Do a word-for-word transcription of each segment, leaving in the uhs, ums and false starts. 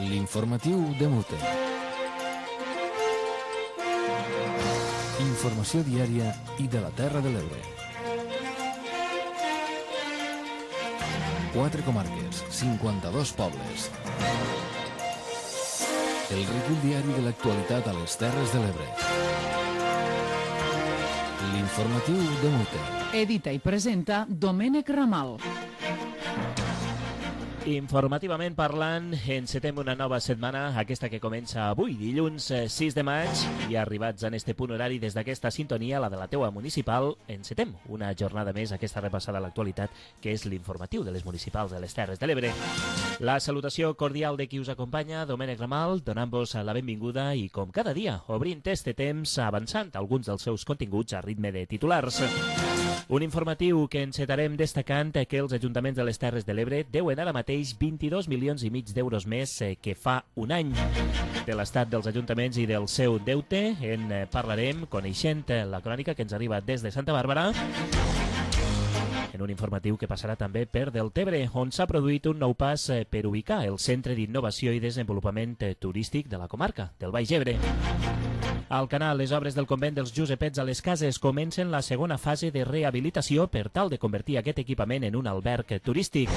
L'informatiu de Mute. Informació diària i de la Terra de l'Ebre. Quatre comarques, cinquanta-dos pobles. El recull diari de l'actualitat a les Terres de l'Ebre. L'informatiu de Mute. Edita i presenta Domènec Ramal. Informativament parlant, encetem una nova setmana, aquesta que comença avui, dilluns sis de maig, i arribats en este punt horari des d'aquesta sintonia, la de la teua municipal, encetem una jornada més, aquesta repassada a l'actualitat, que és l'informatiu de les municipals de les Terres de l'Ebre. La salutació cordial de qui us acompanya, Domènec Ramal, donant-vos la benvinguda i, com cada dia, obrint este temps, avançant alguns dels seus continguts a ritme de titulars. Un informatiu que encetarem destacant que els ajuntaments de les Terres de l'Ebre deuen ara mateix vint-i-dos milions i mig d'euros més que fa un any. De l'estat dels ajuntaments i del seu deute en parlarem coneixent la crònica que ens arriba des de Santa Bàrbara, en un informatiu que passarà també per Deltebre, on s'ha produït un nou pas per ubicar el Centre d'Innovació i Desenvolupament Turístic de la comarca del Baix Ebre. Al canal, les obres del convent dels Josepets a les Cases comencen la segona fase de rehabilitació per tal de convertir aquest equipament en un alberg turístic.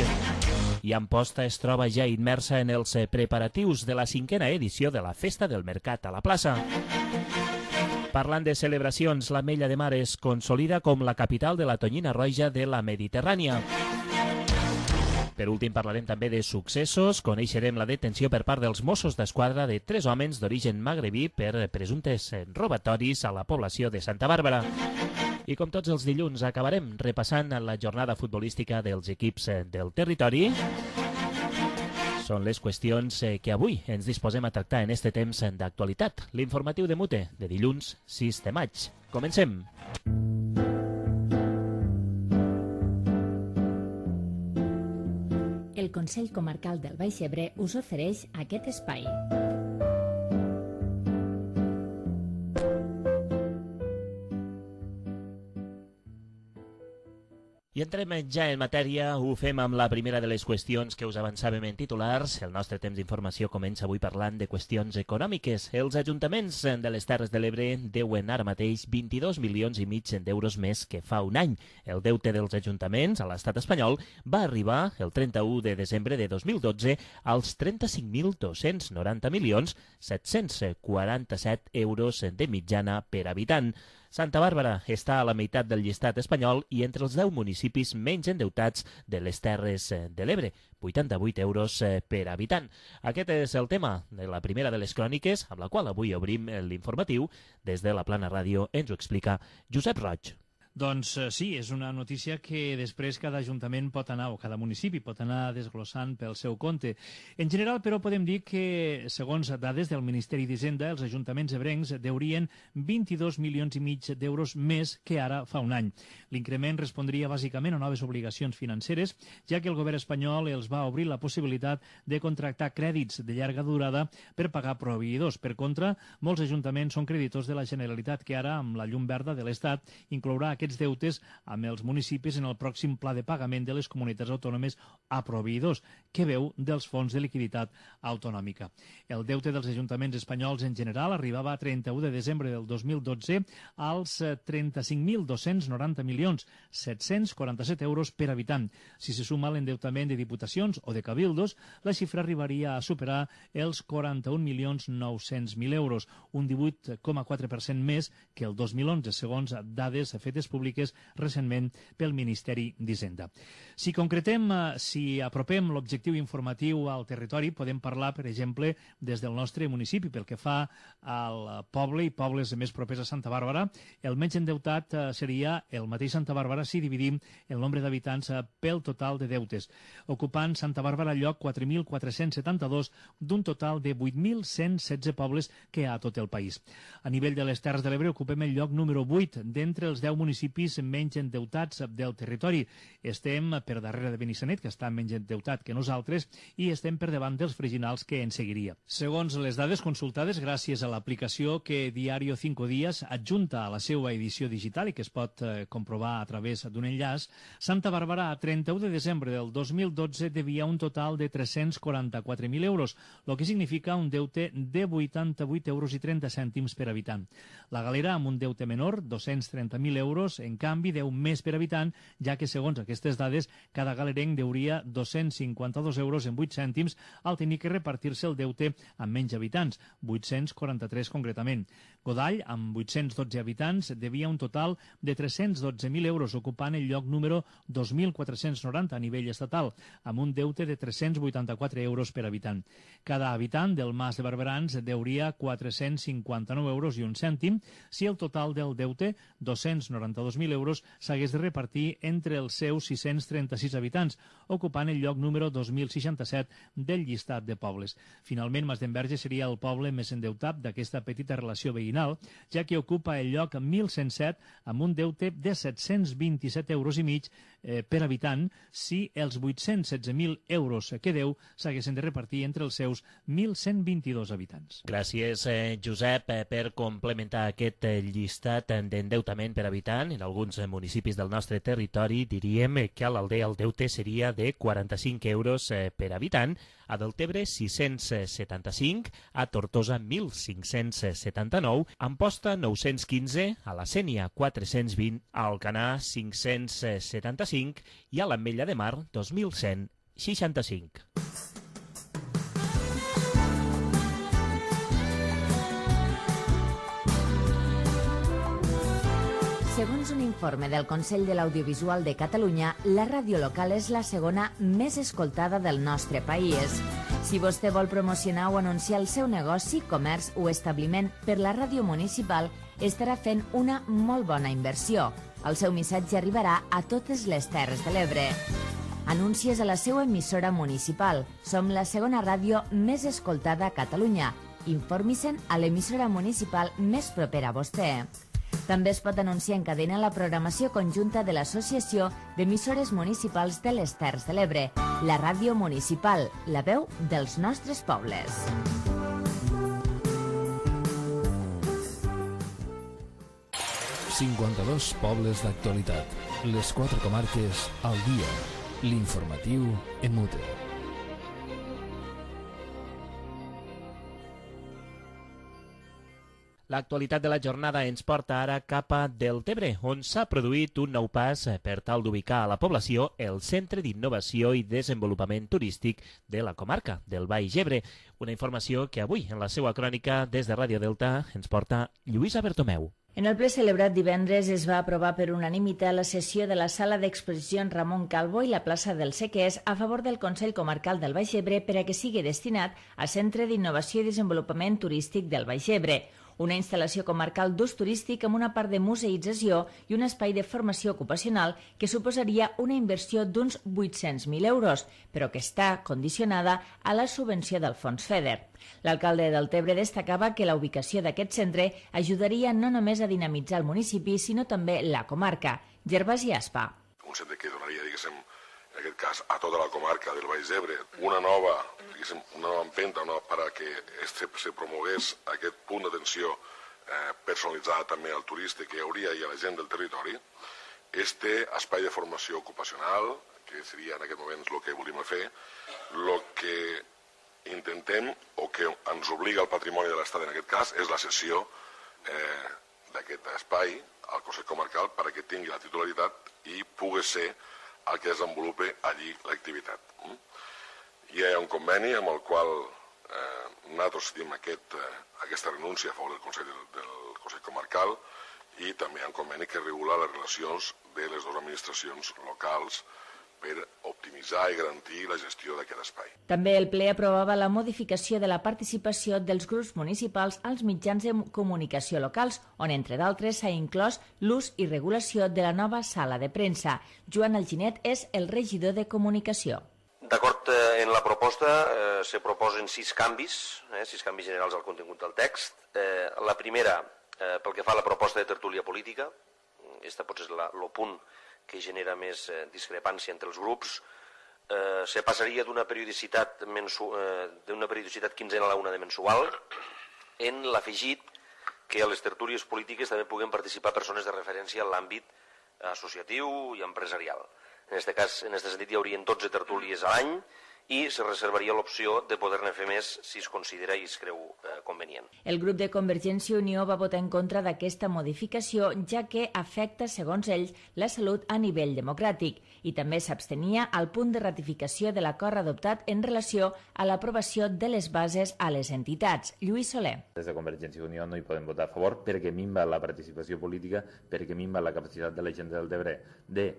I Amposta es troba ja immersa en els preparatius de la cinquena edició de la Festa del Mercat a la plaça. Parlant de celebracions, l'Ametlla de Mar es consolida com la capital de la tonyina roja de la Mediterrània. Per últim, parlarem també de successos. Coneixerem la detenció per part dels Mossos d'Esquadra de tres homes d'origen magrebí per presumptes robatoris a la població de Santa Bàrbara. I com tots els dilluns, acabarem repassant la jornada futbolística dels equips del territori. Són les qüestions que avui ens disposem a tractar en este temps d'actualitat. L'informatiu de Mute, de dilluns sis de maig. Comencem! El Consell Comarcal del Baix Ebre us ofereix aquest espai. I entrem ja en matèria, ho fem amb la primera de les qüestions que us avançàvem en titulars. El nostre temps d'informació comença avui parlant de qüestions econòmiques. Els ajuntaments de les Terres de l'Ebre deuen ara mateix vint-i-dos milions i mig d'euros més que fa un any. El deute dels ajuntaments a l'estat espanyol va arribar el trenta-u de desembre de dos mil dotze als trenta-cinc mil dos-cents noranta milions set-cents quaranta-set euros de mitjana per habitant. Santa Bàrbara està a la meitat del llistat espanyol i entre els deu municipis menys endeutats de les Terres de l'Ebre, vuitanta-vuit euros per habitant. Aquest és el tema de la primera de les cròniques, amb la qual avui obrim l'informatiu. Des de la Plana Ràdio ens ho explica Josep Roig. Doncs sí, és una notícia que després cada ajuntament pot anar, o cada municipi pot anar desglossant pel seu compte. En general, però, podem dir que, segons dades del Ministeri d'Hisenda, els ajuntaments ebrencs deurien vint-i-dos milions i mig d'euros més que ara fa un any. L'increment respondria bàsicament a noves obligacions financeres, ja que el govern espanyol els va obrir la possibilitat de contractar crèdits de llarga durada per pagar proveïdors. Per contra, molts ajuntaments són creditors de la Generalitat, que ara, amb la llum verda de l'Estat, inclourà aquest aquests deutes amb els municipis en el pròxim pla de pagament de les comunitats autònomes a proveïdors, que veu dels fons de liquiditat autonòmica. El deute dels ajuntaments espanyols en general arribava a trenta-u de desembre del dos mil dotze als trenta-cinc mil dos-cents noranta milions set-cents quaranta-set euros per habitant. Si se suma l'endeutament de diputacions o de cabildos, la xifra arribaria a superar els quaranta-un milions nou-cents mil euros, un divuit coma quatre per cent més que el dos mil onze, segons dades fetes públiques recentment pel Ministeri d'Hisenda. Si concretem, si apropem l'objectiu informatiu al territori, podem parlar, per exemple, des del nostre municipi. Pel que fa al poble i pobles més propers a Santa Bàrbara, el menys endeutat seria el mateix Santa Bàrbara si dividim el nombre d'habitants pel total de deutes, ocupant Santa Bàrbara el lloc quatre mil quatre-cents setanta-dos d'un total de vuit mil cent setze pobles que hi ha a tot el país. A nivell de les Terres de l'Ebre ocupem el lloc número vuit d'entre els deu municipis municipis menys endeutats del territori. Estem per darrere de Benissanet, que està menys endeutat que nosaltres, i estem per davant dels Freginals, que en seguiria. Segons les dades consultades gràcies a l'aplicació que Diario Cinco Días adjunta a la seva edició digital i que es pot eh, comprovar a través d'un enllaç, Santa Bàrbara a trenta-u de desembre del dos mil dotze devia un total de tres-cents quaranta-quatre mil euros, el que significa un deute de vuitanta-vuit euros i trenta cèntims per habitant. La Galera, amb un deute menor, dos-cents trenta mil euros, en canvi, deu més per habitant, ja que, segons aquestes dades, cada galerenc deuria dos-cents cinquanta-dos euros en vuit cèntims al tenir que repartir-se el deute amb menys habitants, vuit-cents quaranta-tres concretament. Godall, amb vuit-cents dotze habitants, devia un total de tres-cents dotze mil euros, ocupant el lloc número dos mil quatre-cents noranta a nivell estatal, amb un deute de tres-cents vuitanta-quatre euros per habitant. Cada habitant del Mas de Barberans deuria quatre-cents cinquanta-nou euros i un cèntim si el total del deute, dos-cents noranta-dos mil euros, s'hagués de repartir entre els seus sis-cents trenta-sis habitants, ocupant el lloc número dos mil seixanta-set del llistat de pobles. Finalment, Masdenverge seria el poble més endeutat d'aquesta petita relació veïnal, ja que ocupa el lloc mil cent set amb un deute de set-cents vint-i-set euros i mig eh, per habitant si els vuit-cents setze mil euros que deu s'haguessin de repartir entre els seus mil cent vint-i-dos habitants. Gràcies, eh, Josep, eh, per complementar aquest eh, llistat d'endeutament per habitant. En alguns eh, municipis del nostre territori diríem que a l'Aldea el deute seria de quaranta-cinc euros eh, per habitant, a Deltebre sis-cents setanta-cinc, a Tortosa mil cinc-cents setanta-nou, a Amposta nou-cents quinze, a la Sénia quatre-cents vint, a Alcanar cinc-cents setanta-cinc i a l'Ametlla de Mar dos mil cent seixanta-cinc. Segons un informe del Consell de l'Audiovisual de Catalunya, la ràdio local és la segona més escoltada del nostre país. Si vostè vol promocionar o anunciar el seu negoci, comerç o establiment per la ràdio municipal, estarà fent una molt bona inversió. El seu missatge arribarà a totes les Terres de l'Ebre. Anuncies a la seva emissora municipal. Som la segona ràdio més escoltada a Catalunya. Informi-se'n a l'emissora municipal més propera a vostè. També es pot anunciar en cadena la programació conjunta de l'Associació d'Emissores Municipals de les Terres de l'Ebre, la ràdio municipal, la veu dels nostres pobles. cinquanta-dos pobles d'actualitat. Les quatre comarques al dia. L'informatiu en mute. L'actualitat de la jornada ens porta ara cap a Deltebre, on s'ha produït un nou pas per tal d'ubicar a la població el Centre d'Innovació i Desenvolupament Turístic de la comarca del Baix Ebre. Una informació que avui, en la seva crònica des de Ràdio Delta, ens porta Lluïsa Bertomeu. En el ple celebrat divendres es va aprovar per unanimitat la sessió de la sala d'exposicions Ramon Calvo i la plaça del Sequers a favor del Consell Comarcal del Baix Ebre per a que sigui destinat a Centre d'Innovació i Desenvolupament Turístic del Baix Ebre, una instal·lació comarcal d'ús turístic amb una part de museïtzació i un espai de formació ocupacional que suposaria una inversió d'uns vuit-cents mil euros, però que està condicionada a la subvenció del Fons FEDER. L'alcalde de Deltebre destacava que la ubicació d'aquest centre ajudaria no només a dinamitzar el municipi, sinó també la comarca. Gervasi Aspa. Un centre que donaria, diguéssim, en aquest cas, a tota la comarca del Baix Ebre, una nova, diguéssim, una nova empenta no, per a que se, se promogués aquest punt d'atenció eh, personalitzada també al turista que hi hauria i a la gent del territori. Este espai de formació ocupacional, que seria en aquest moment el que volíem fer, el que intentem o que ens obliga el patrimoni de l'Estat en aquest cas és la cessió eh, d'aquest espai al Consell Comarcal perquè tingui la titularitat i pugui ser el que desenvolupi allí l'activitat. Hi ha un conveni amb el qual eh, nosaltres tenim aquest, eh, aquesta renúncia a favor del Consell, del Consell Comarcal i també hi ha un conveni que regula les relacions de les dues administracions locals per optimitzar i garantir la gestió d'aquest espai. També el ple aprovava la modificació de la participació dels grups municipals als mitjans de comunicació locals, on, entre d'altres, s'ha inclòs l'ús i regulació de la nova sala de premsa. Joan Alginet és el regidor de comunicació. D'acord, eh, en la proposta eh, se proposen sis canvis, eh, sis canvis generals al contingut del text. Eh, la primera, eh, pel que fa a la proposta de tertúlia política, aquest potser és el punt que genera més eh, discrepància entre els grups, eh, se passaria d'una periodicitat, mensu, eh, d'una periodicitat quinzena a la una de mensual, en l'afegit que a les tertúlies polítiques també puguen participar persones de referència en l'àmbit associatiu i empresarial. En aquest cas, en aquest sentit, hi haurien dotze tertúlies a l'any, i se reservaria l'opció de poder-ne fer més si es considera i es creu eh, convenient. El grup de Convergència i Unió va votar en contra d'aquesta modificació, ja que afecta, segons ells, la salut a nivell democràtic, i també s'abstenia al punt de ratificació de l'acord adoptat en relació a l'aprovació de les bases a les entitats. Lluís Soler. Des de Convergència i Unió no hi podem votar a favor perquè minva la participació política, perquè minva la capacitat de la gent del Tebre de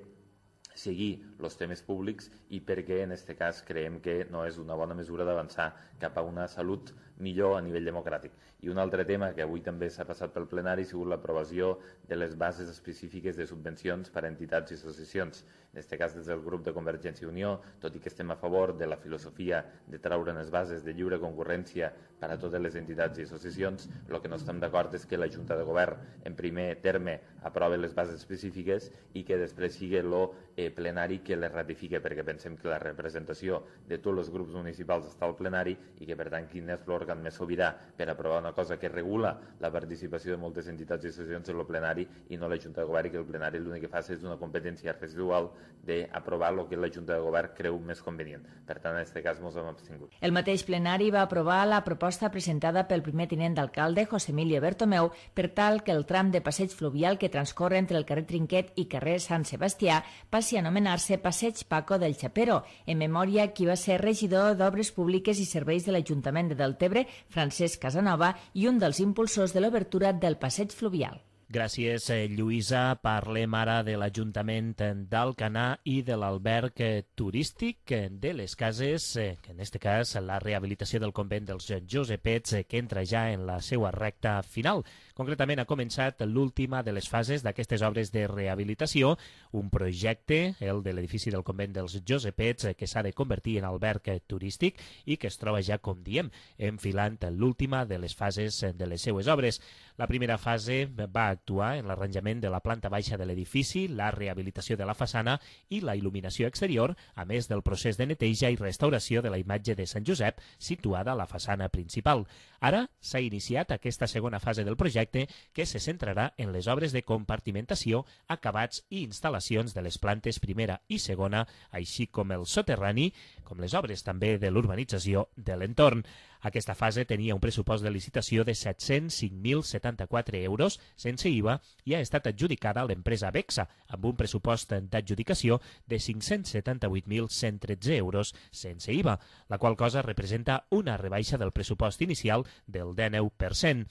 seguir els temes públics i perquè en aquest cas creiem que no és una bona mesura d'avançar cap a una salut millor a nivell democràtic. I un altre tema que avui també s'ha passat pel plenari ha sigut l'aprovació de les bases específiques de subvencions per a entitats i associacions. En aquest cas, des del grup de Convergència i Unió, tot i que estem a favor de la filosofia de treure les bases de lliure concurrència per a totes les entitats i associacions, el que no estem d'acord és que la Junta de Govern, en primer terme, aprove les bases específiques i que després sigui el eh, plenari que les ratifique, perquè pensem que la representació de tots els grups municipals està al plenari i que, per tant, quin és l'òrgan més sobirà per aprovar una cosa que regula la participació de moltes entitats i associacions en el plenari i no la Junta de Govern, i que el plenari l'únic que fa és una competència residual d'aprovar el que la Junta de Govern creu més convenient. Per tant, en aquest cas ens hem abstingut. El mateix plenari va aprovar la proposta presentada pel primer tinent d'alcalde, José Emilio Bertomeu, per tal que el tram de passeig fluvial que transcorre entre el carrer Trinquet i carrer Sant Sebastià passi a anomenar-se Passeig Paco del Chapero, en memòria qui va ser regidor d'Obres Públiques i Serveis de l'Ajuntament de Deltebre, Francesc Casanova, i un dels impulsors de l'obertura del passeig fluvial. Gràcies, Lluïsa. Parlem ara de l'Ajuntament d'Alcanar i de l'alberg turístic de les Cases, que en aquest cas la rehabilitació del convent dels Josepets, que entra ja en la seva recta final. Concretament, ha començat l'última de les fases d'aquestes obres de rehabilitació, un projecte, el de l'edifici del convent dels Josepets, que s'ha de convertir en alberg turístic i que es troba ja, com diem, enfilant l'última de les fases de les seues obres. La primera fase va actuar en l'arranjament de la planta baixa de l'edifici, la rehabilitació de la façana i la il·luminació exterior, a més del procés de neteja i restauració de la imatge de Sant Josep situada a la façana principal. Ara s'ha iniciat aquesta segona fase del projecte, que se centrarà en les obres de compartimentació, acabats i instal·lacions de les plantes primera i segona, així com el soterrani, com les obres també de l'urbanització de l'entorn. Aquesta fase tenia un pressupost de licitació de set-cents cinc mil setanta-quatre euros sense I V A i ha estat adjudicada a l'empresa Bexa amb un pressupost d'adjudicació de cinc-cents setanta-vuit mil cent tretze euros sense I V A, la qual cosa representa una rebaixa del pressupost inicial del dinou per cent.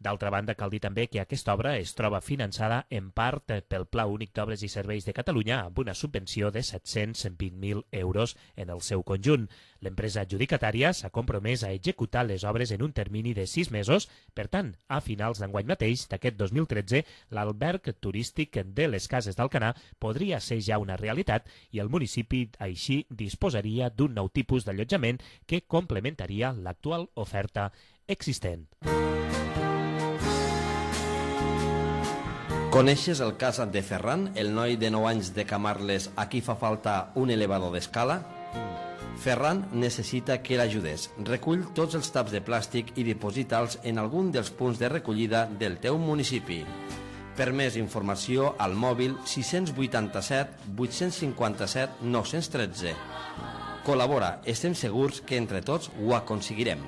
D'altra banda, cal dir també que aquesta obra es troba finançada en part pel Pla Únic d'Obres i Serveis de Catalunya amb una subvenció de set-cents vint mil euros en el seu conjunt. L'empresa adjudicatària s'ha compromès a executar les obres en un termini de sis mesos. Per tant, a finals d'enguany mateix, d'aquest dos mil tretze, l'alberg turístic de les Cases d'Alcanar podria ser ja una realitat i el municipi així disposaria d'un nou tipus d'allotjament que complementaria l'actual oferta existent. Coneixes el cas de Ferran, el noi de nou anys de Camarles a qui fa falta un elevador d'escala? Ferran necessita que l'ajudes. Recull tots els taps de plàstic i diposita'ls en algun dels punts de recollida del teu municipi. Per més informació, al mòbil sis vuitanta-set vuit cinquanta-set nou tretze. Col·labora, estem segurs que entre tots ho aconseguirem.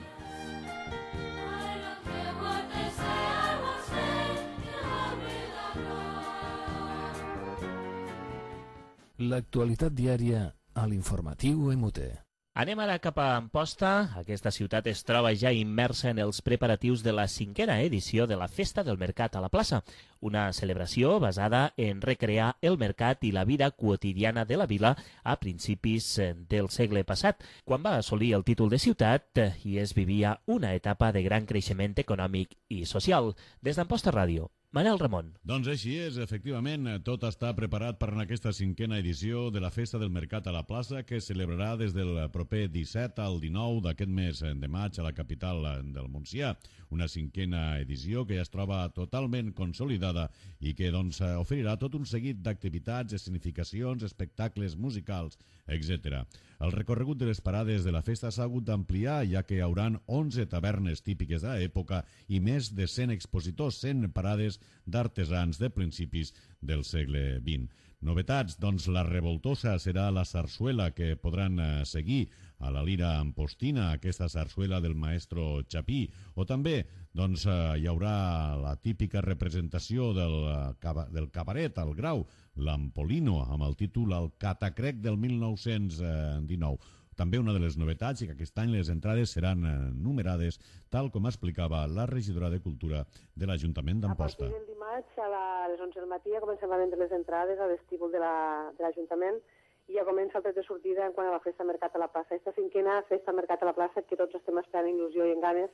L'actualitat diària a l'informatiu E M U T E. Anem ara cap a Amposta. Aquesta ciutat es troba ja immersa en els preparatius de la cinquena edició de la Festa del Mercat a la plaça, una celebració basada en recrear el mercat i la vida quotidiana de la vila a principis del segle passat, quan va assolir el títol de ciutat i es vivia una etapa de gran creixement econòmic i social. Des d'Amposta Ràdio, Manel Ramon. Doncs així és, efectivament, tot està preparat per a aquesta cinquena edició de la Festa del Mercat a la Plaça, que es celebrarà des del proper disset al dinou d'aquest mes de maig a la capital del Montsià. Una cinquena edició que ja es troba totalment consolidada i que doncs, oferirà tot un seguit d'activitats, escenificacions, espectacles musicals, etcètera. El recorregut de les parades de la festa s'ha hagut d'ampliar, ja que hi haurà onze tavernes típiques de l'època i més de cent expositors, cent parades d'artesans de principis del segle vint. Novetats, doncs la revoltosa serà la sarsuela que podran eh, seguir a la Lira Ampostina, aquesta sarsuela del maestro Chapí, o també doncs, eh, hi haurà la típica representació del, eh, del cabaret al Grau, l'Ampolino, amb el títol El Catacrec del mil nou-cents dinou. També una de les novetats és que aquest any les entrades seran eh, numerades, tal com explicava la regidora de Cultura de l'Ajuntament d'Amposta. A partir del dimarts a les onze del matí ja comencem a vendre les entrades a vestíbul de l'Ajuntament i ja comença el tret de sortida en quant a la festa Mercat a la Plaça. Aquesta cinquena festa Mercat a la Plaça que tots estem esperant il·lusió i en ganes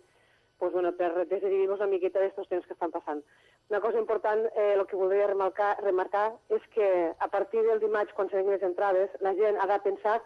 pues, bueno, per desdividir-nos una miqueta d'estos temps que estan passant. Una cosa important, eh, el que voldria remarcar, remarcar és que a partir del dimarts, quan s'han les entrades, la gent ha de pensar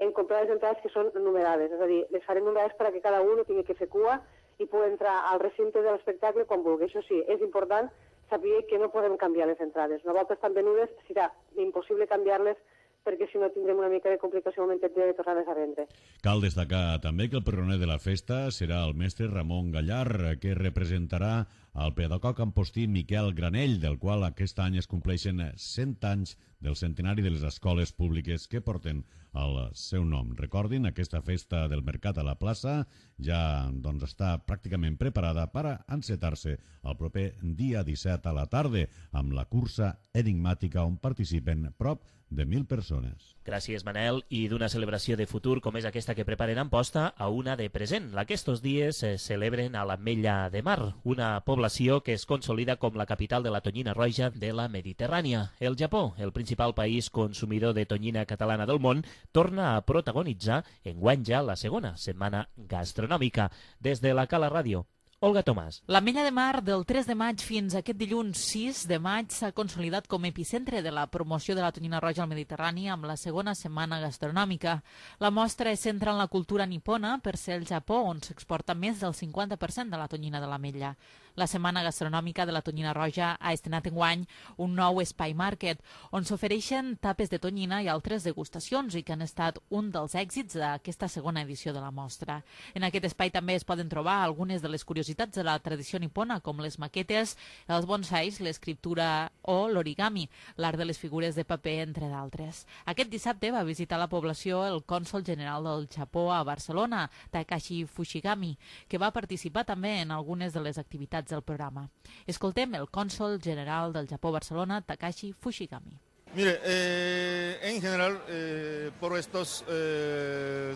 en comprar les entrades que són numerades, és a dir, les farem numerades perquè cada un tingui que fer cua i pugui entrar al recinte de l'espectacle quan vulgui. Això sí, és important saber que no podem canviar les entrades. Una volta estan venudes, serà impossible canviar-les perquè si no tindrem una mica de complicació al moment de tornar-les a vendre. Cal destacar també que el pregoner de la festa serà el mestre Ramon Gallar, que representarà el pedagog ampostí Miquel Granell, del qual aquest any es compleixen cent anys del centenari de les escoles públiques que porten el seu nom. Recordin, aquesta festa del Mercat a la Plaça ja doncs, està pràcticament preparada per encetar-se el proper dia disset a la tarda amb la cursa enigmàtica on participen prop de mil persones. Gràcies, Manel. I d'una celebració de futur com és aquesta que preparen a Amposta a una de present, la que estos dies se celebren a l'Ametlla de Mar, una població que es consolida com la capital de la tonyina roja de la Mediterrània. El Japó, el principal país consumidor de tonyina catalana del món, torna a protagonitzar enguany ja la segona setmana gastronòmica. Des de la Cala Ràdio, Olga Tomàs. L'Ametlla de Mar del tres de maig fins a aquest dilluns sis de maig s'ha consolidat com a epicentre de la promoció de la tonyina roja al Mediterrani amb la segona setmana gastronòmica. La mostra es centra en la cultura nipona per ser el Japó on s'exporta més del cinquanta per cent de la tonyina de l'ametlla. La setmana gastronòmica de la tonyina roja ha estrenat enguany un nou espai market on s'ofereixen tapes de tonyina i altres degustacions i que han estat un dels èxits d'aquesta segona edició de la mostra. En aquest espai també es poden trobar algunes de les curiositats de la tradició nipona com les maquetes, els bonsais, l'escriptura o l'origami, l'art de les figures de paper, entre d'altres. Aquest dissabte va visitar la població el cònsol general del Japó a Barcelona, Takashi Fushigami, que va participar també en algunes de les activitats del programa. Escoltem el cònsol general del Japó a Barcelona, Takashi Fushigami. Mire, eh, en general, eh, por estos eh,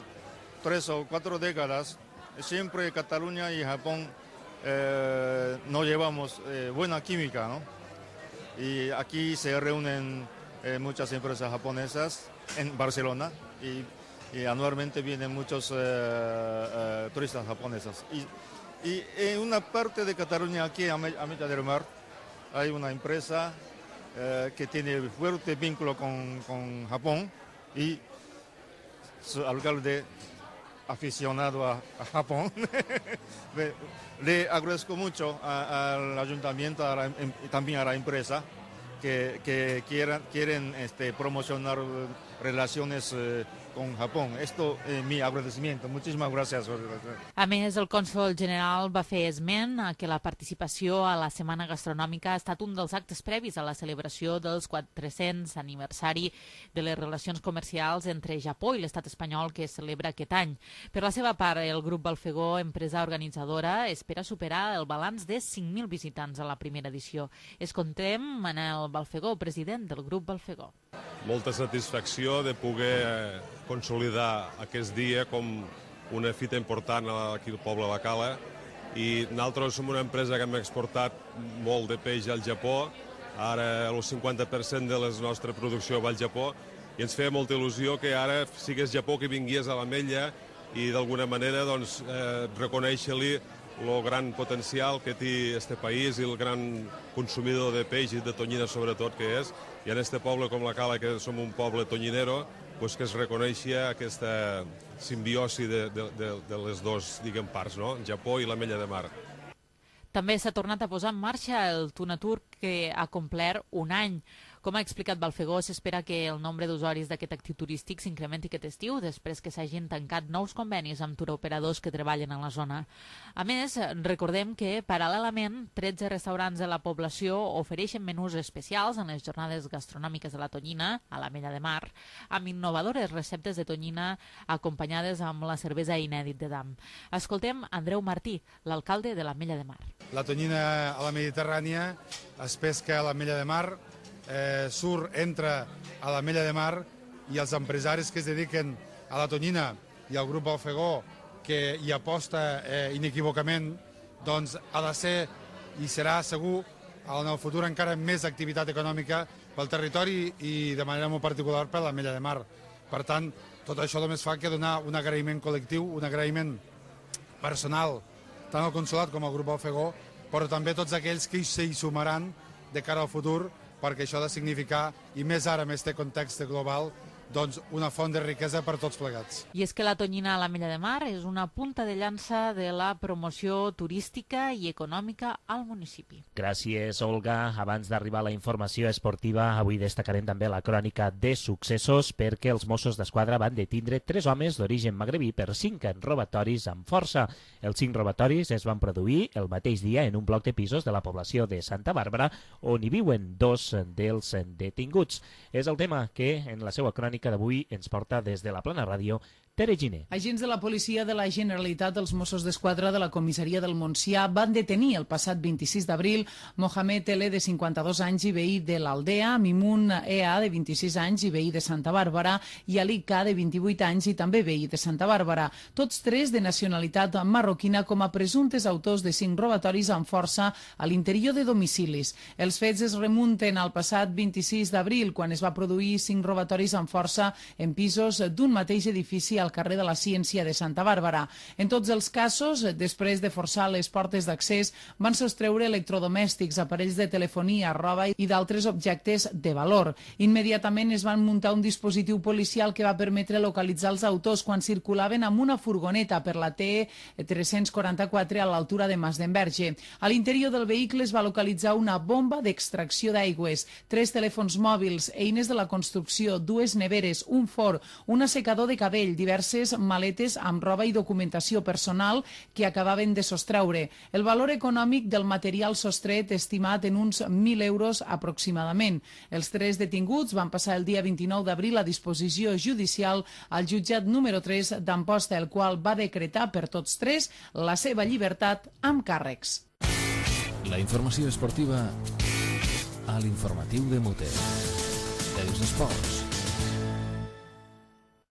tres o cuatro décadas, siempre Cataluña y Japón eh, no llevamos eh, buena química, ¿no? Y aquí se reúnen eh, muchas empresas japonesas en Barcelona y, y anualmente vienen muchos eh, eh, turistas japoneses. Y, Y en una parte de Cataluña, aquí a Ametlla del Mar, hay una empresa eh, que tiene fuerte vínculo con, con Japón y su alcalde aficionado a, a Japón. le, le agradezco mucho a, al ayuntamiento a la, y también a la empresa que, que quieran, quieren este, promocionar relaciones eh, con Japón. Esto es eh, mi agradecimiento. Muchísimas gracias. A més, el cònsol general va fer esment a que la participació a la Setmana Gastronòmica ha estat un dels actes previs a la celebració dels quatre-cents aniversari de les relacions comercials entre Japó i l'estat espanyol que es celebra aquest any. Per la seva part, el grup Balfegó, empresa organitzadora, espera superar el balanç de cinc mil visitants a la primera edició. Escoltem Manel Balfegó, president del grup Balfegó. Molta satisfacció de poder consolidar aquest dia com una fita important aquí al poble de la Cala i nosaltres som una empresa que hem exportat molt de peix al Japó, ara el cinquanta per cent de la nostra producció va al Japó i ens feia molta il·lusió que ara sigués Japó que vingués a l'Ametlla i d'alguna manera doncs, eh, reconèixer-li el gran potencial que té este país i el gran consumidor de peix i de tonyina sobretot que és, i en este poble com la Cala, que som un poble tonyinero, pues que es reconeixia aquesta simbiosi de, de, de, de les dues, diguem, parts, no? El Japó i l'Ametlla de Mar. També s'ha tornat a posar en marxa el Tunatur, que ha complert un any. Com ha explicat Balfegó, s'espera que el nombre d'usuaris d'aquest actiu turístic s'incrementi aquest estiu després que s'hagin tancat nous convenis amb turoperadors que treballen a la zona. A més, recordem que, paral·lelament, tretze restaurants de la població ofereixen menús especials en les jornades gastronòmiques de la tonyina, a l'Ametlla de Mar, amb innovadores receptes de tonyina acompanyades amb la cervesa inèdit de Dam. Escoltem Andreu Martí, l'alcalde de l'Ametlla de Mar. La tonyina a la Mediterrània es pesca a l'Ametlla de Mar, Eh, surt, entra a l'Ametlla de Mar, i els empresaris que es dediquen a la tonyina i al grup Balfegó, que hi aposta eh, inequívocament, doncs ha de ser i serà segur en el futur encara més activitat econòmica pel territori i de manera molt particular per l'Ametlla de Mar. Per tant, tot això només fa que donar un agraïment col·lectiu, un agraïment personal, tant al Consolat com al grup Balfegó, però també tots aquells que s'hi sumaran de cara al futur, perquè això ha de significar, i més ara amb aquest context global, doncs una font de riquesa per tots plegats. I és que la tonyina a l'Ametlla de Mar és una punta de llança de la promoció turística i econòmica al municipi. Gràcies, Olga. Abans d'arribar a la informació esportiva, avui destacarem també la crònica de successos, perquè els Mossos d'Esquadra van detindre tres homes d'origen magrebí per cinc robatoris amb força. Els cinc robatoris es van produir el mateix dia en un bloc de pisos de la població de Santa Bàrbara, on hi viuen dos dels detinguts. És el tema que en la seva crònica d'avui ens porta des de la Plana Ràdio Tere Giner. Agents de la policia de la Generalitat dels Mossos d'Esquadra de la comissaria del Montsià van detenir el passat vint-i-sis d'abril Mohamed Ele, de cinquanta-dos anys i veí de l'Aldea, Mimun E A, de vint-i-sis anys i veí de Santa Bàrbara, i Ali K, de vint-i-vuit anys i també veí de Santa Bàrbara, tots tres de nacionalitat marroquina, com a presumptes autors de cinc robatoris amb força a l'interior de domicilis. Els fets es remunten al passat vint-i-sis d'abril, quan es va produir cinc robatoris amb força en pisos d'un mateix edifici al carrer de la Ciència de Santa Bàrbara. En tots els casos, després de forçar les portes d'accés, van sostreure electrodomèstics, aparells de telefonia, roba i d'altres objectes de valor. Immediatament es van muntar un dispositiu policial que va permetre localitzar els autors quan circulaven amb una furgoneta per la T tres-cents quaranta-quatre a l'altura de Mas d'Enverge. A l'interior del vehicle es va localitzar una bomba d'extracció d'aigües, tres telèfons mòbils, eines de la construcció, dues neveres, un forn, un assecador de cabell, diverses maletes amb roba i documentació personal que acabaven de sostreure. El valor econòmic del material sostret estimat en uns mil euros aproximadament. Els tres detinguts van passar el dia vint-i-nou d'abril a disposició judicial al jutjat número tres d'Amposta, el qual va decretar per tots tres la seva llibertat amb càrrecs. La informació esportiva a l'informatiu de Mute. Els esports.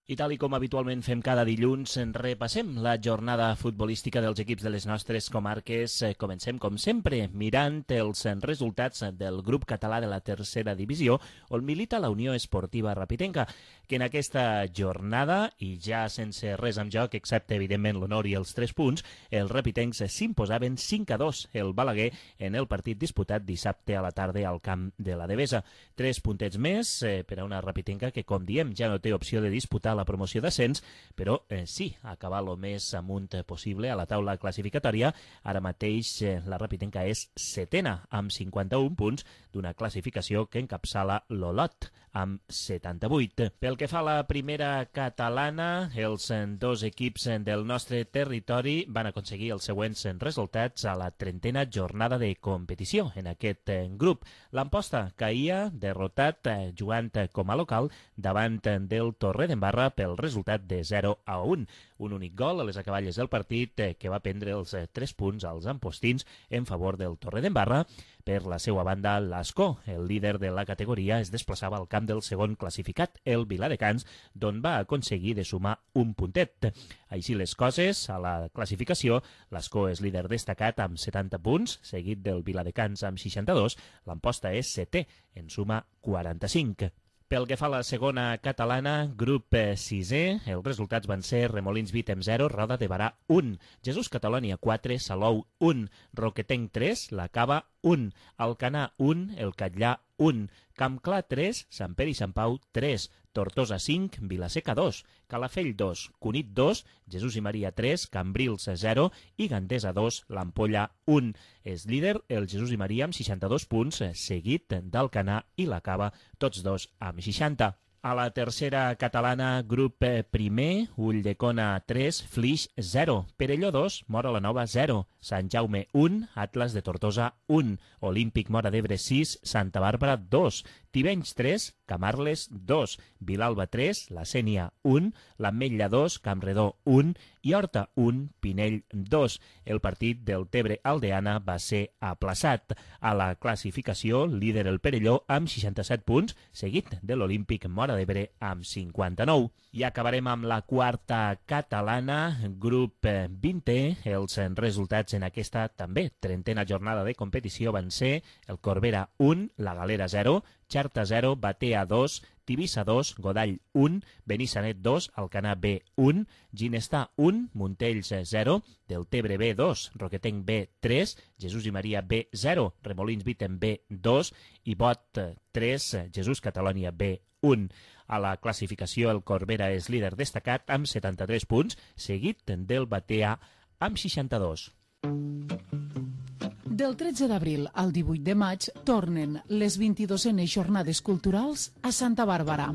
I tal i com habitualment fem cada dilluns, repassem la jornada futbolística dels equips de les nostres comarques. Comencem, com sempre, mirant els resultats del grup català de la tercera divisió, on milita la Unió Esportiva Rapitenca, que en aquesta jornada, i ja sense res en joc, excepte evidentment l'honor i els tres punts, els rapitencs s'imposaven cinc a dos el Balaguer en el partit disputat dissabte a la tarda al camp de la Devesa. Tres puntets més eh, per a una Rapitenca que, com diem, ja no té opció de disputar la promoció d'ascens, però eh, sí, acabar el més amunt possible a la taula classificatòria. Ara mateix eh, la Rapitenca és setena amb cinquanta-un punts d'una classificació que encapçala l'Olot amb setanta-vuit. Pel que fa a la primera catalana, els dos equips del nostre territori van aconseguir els següents resultats a la trentena jornada de competició en aquest grup. L'Amposta caïa derrotat jugant com a local davant del Torredembarra pel resultat de zero a un. Un únic gol a les acaballes del partit que va prendre els tres punts als ampostins en favor del Torredembarra. Per la seva banda, l'Ascó, el líder de la categoria, es desplaçava al camp del segon classificat, el Viladecans, d'on va aconseguir de sumar un puntet. Així les coses, a la classificació, l'Ascó és líder destacat amb setanta punts, seguit del Viladecans amb seixanta-dos, l'Amposta és setè, en suma quaranta-cinc. Pel que fa a la segona catalana, grup sisè, els resultats van ser Remolins Vitem zero, Roda de Barà un, Jesús Catalonia quatre, Salou un, Roquetenc tres, La Cava un, Alcanar un, El Catllà un, Campclar tres, Sant Pere i Sant Pau tres, Tortosa cinc, Vilaseca dos, Calafell dos, Cunit dos, Jesús i Maria tres, Cambrils zero i Gandesa dos, l'Ampolla un. És líder el Jesús i Maria amb seixanta-dos punts, seguit d'Alcanar i la Cava, tots dos amb seixanta. A la tercera catalana, grup primer, Ulldecona tres, Flix zero, Perelló dos, Móra la Nova zero, Sant Jaume un, Atlas de Tortosa un, Olímpic Móra d'Ebre sis, Santa Bàrbara dos, Tivenys tres, Camarles dos, Vilalba tres, La Sénia un, l'Ametlla dos, Campredó un i Horta un, Pinell dos. El partit del Tebre Aldeana va ser aplaçat. A la classificació, líder el Perelló amb seixanta-set punts, seguit de l'Olímpic Móra d'Ebre amb cinquanta-nou. I acabarem amb la quarta catalana, grup vintè. Els resultats en aquesta també trentena jornada de competició van ser el Corbera un, la Galera zero, Xerta zero, Batea dos, Tivissa dos, Godall un, Benissanet dos, Alcanar B un, Ginestar un, Montells zero, Deltebre B dos, Roquetenc B tres, Jesús i Maria B zero, Remolins Vitem B dos i Bot tres, Jesús Catalonia B un. A la classificació, el Corbera és líder destacat amb setanta-tres punts, seguit del Batea amb seixanta-dos. Del tretze d'abril al divuit de maig tornen les vint-i-dosenes jornades culturals a Santa Bàrbara.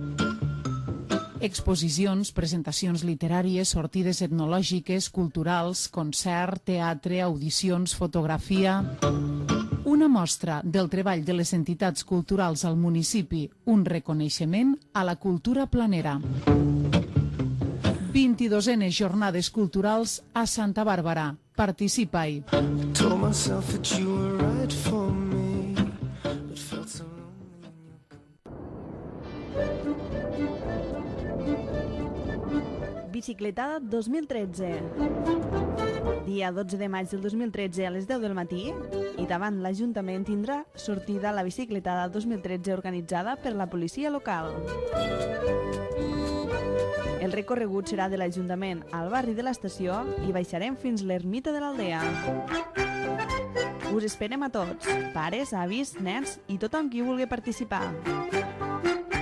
Exposicions, presentacions literàries, sortides etnològiques, culturals, concert, teatre, audicions, fotografia... Una mostra del treball de les entitats culturals al municipi, un reconeixement a la cultura planera. vint-i-dosenes jornades culturals a Santa Bàrbara. Participa-hi. Bicicletada dos mil tretze. Dia dotze de maig del dos mil tretze a les deu del matí i davant l'Ajuntament tindrà sortida la bicicletada dos mil tretze organitzada per la policia local. El recorregut serà de l'Ajuntament al barri de l'estació i baixarem fins l'ermita de l'Aldea. Us esperem a tots, pares, avis, nens i tothom qui vulgui participar.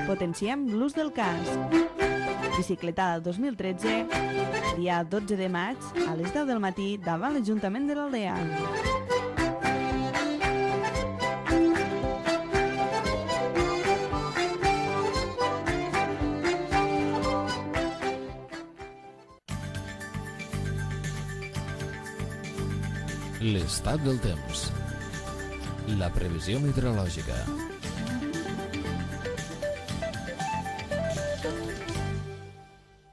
Potenciem l'ús del casc. Bicicletada dos mil tretze, dia dotze de maig, a les deu del matí, davant l'Ajuntament de l'Aldea. L'estat del temps. La previsió meteorològica.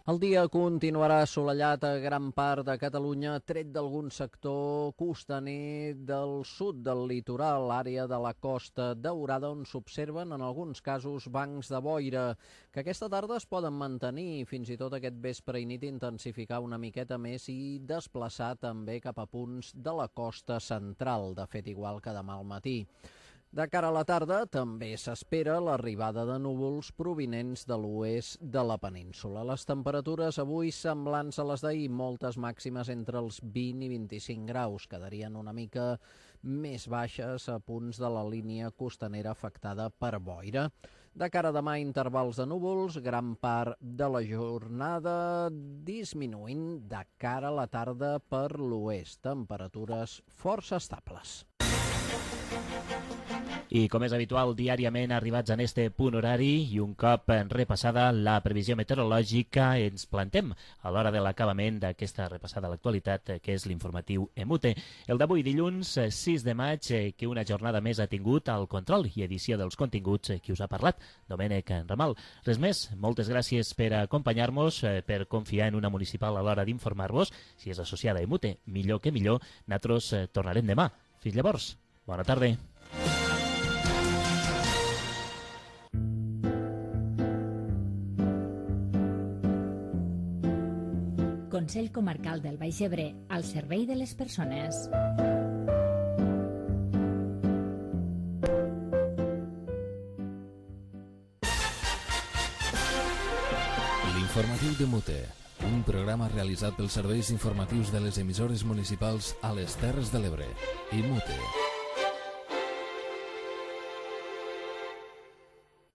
El dia continuarà assolellat a gran part de Catalunya, tret d'algun sector costaner del sud del litoral, àrea de la Costa Daurada, on s'observen en alguns casos bancs de boira, que aquesta tarda es poden mantenir i fins i tot aquest vespre i nit intensificar una miqueta més i desplaçar també cap a punts de la costa central, de fet igual que demà al matí. De cara a la tarda també s'espera l'arribada de núvols provinents de l'oest de la península. Les temperatures avui semblants a les d'ahir, moltes màximes entre els vint i vint-i-cinc graus, quedarien una mica més baixes a punts de la línia costanera afectada per boira. De cara a demà, intervals de núvols, gran part de la jornada disminuint de cara a la tarda per l'oest. Temperatures força estables. I com és habitual, diàriament arribats en este punt horari i un cop repassada la previsió meteorològica, ens plantem a l'hora de l'acabament d'aquesta repassada a l'actualitat, que és l'informatiu EMUTE. El d'avui dilluns sis de maig, que una jornada més ha tingut el control i edició dels continguts que us ha parlat Domènec Ramal. Res més, moltes gràcies per acompanyar-nos, per confiar en una municipal a l'hora d'informar-vos. Si és associada a EMUTE, millor que millor, nosaltres tornarem demà. Fins llavors, bona tarda. Consell Comarcal del Baix Ebre, al servei de les persones. L'informatiu de Mute, un programa realitzat pels serveis informatius de les emissores municipals a les Terres de l'Ebre i Mute.